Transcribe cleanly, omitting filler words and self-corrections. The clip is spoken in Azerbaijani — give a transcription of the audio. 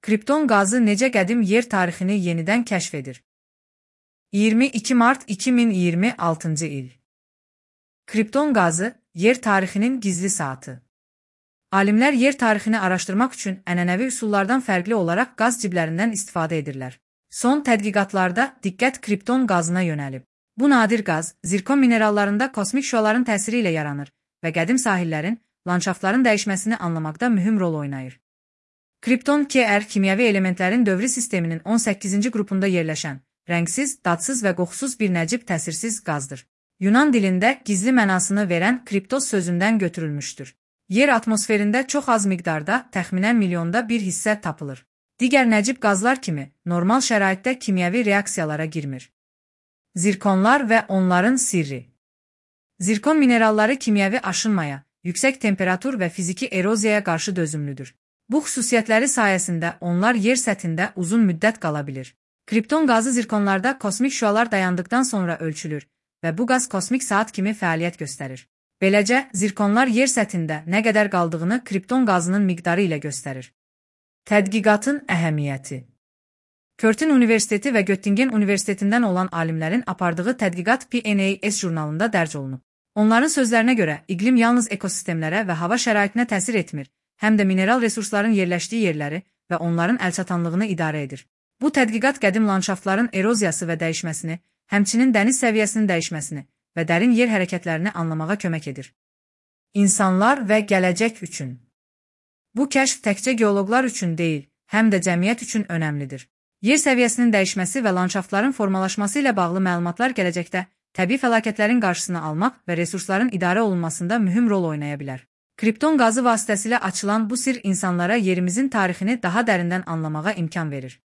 Kripton qazı necə qədim yer tarixini yenidən kəşf edir? 22 mart 2026-cı il. Kripton qazı, yer tarixinin gizli saatı. Alimlər yer tarixini araşdırmaq üçün ənənəvi üsullardan fərqli olaraq qaz ciblərindən istifadə edirlər. Son tədqiqatlarda diqqət kripton qazına yönəlib. Bu nadir qaz, zirkon minerallarında kosmik şüaların təsiri ilə yaranır və qədim sahillərin, landşaftların dəyişməsini anlamaqda mühüm rol oynayır. Kripton Kr kimyəvi elementlərin dövrü sisteminin 18-ci qrupunda yerləşən, rəngsiz, dadsız və qoxusuz bir nəcib təsirsiz qazdır. Yunan dilində gizli mənasını verən kriptos sözündən götürülmüşdür. Yer atmosferində çox az miqdarda, təxminən milyonda bir hissə tapılır. Digər nəcib qazlar kimi, normal şəraitdə kimyəvi reaksiyalara girmir. Zirkonlar və onların sirri. Zirkon mineralları kimyəvi aşınmaya, yüksək temperatur və fiziki eroziyaya qarşı dözümlüdür. Bu xüsusiyyətləri sayəsində onlar yer səthində uzun müddət qala bilir. Kripton qazı zirkonlarda kosmik şüalar dayandıqdan sonra ölçülür və bu qaz kosmik saat kimi fəaliyyət göstərir. Beləcə, zirkonlar yer səthində nə qədər qaldığını kripton qazının miqdarı ilə göstərir. Tədqiqatın əhəmiyyəti. Curtin Universiteti və Göttingen Universitetindən olan alimlərin apardığı tədqiqat PNAS jurnalında dərc olunub. Onların sözlərinə görə, iqlim yalnız ekosistemlərə və hava şəraitinə təsir etmir, həm də mineral resursların yerləşdiyi yerləri və onların əlçatanlığını idarə edir. Bu tədqiqat qədim landşaftların eroziyası və dəyişməsini, həmçinin dəniz səviyyəsinin dəyişməsini və dərin yer hərəkətlərini anlamağa kömək edir. İnsanlar və gələcək üçün. Bu kəşf təkcə geoloqlar üçün deyil, həm də cəmiyyət üçün önəmlidir. Yer səviyyəsinin dəyişməsi və landşaftların formalaşması ilə bağlı məlumatlar gələcəkdə təbii fəlakətlərin qarşısını almaq və resursların idarə olunmasında mühüm rol oynaya bilər. Kripton qazı vasitəsilə açılan bu sirr insanlara yerimizin tarixini daha dərindən anlamağa imkan verir.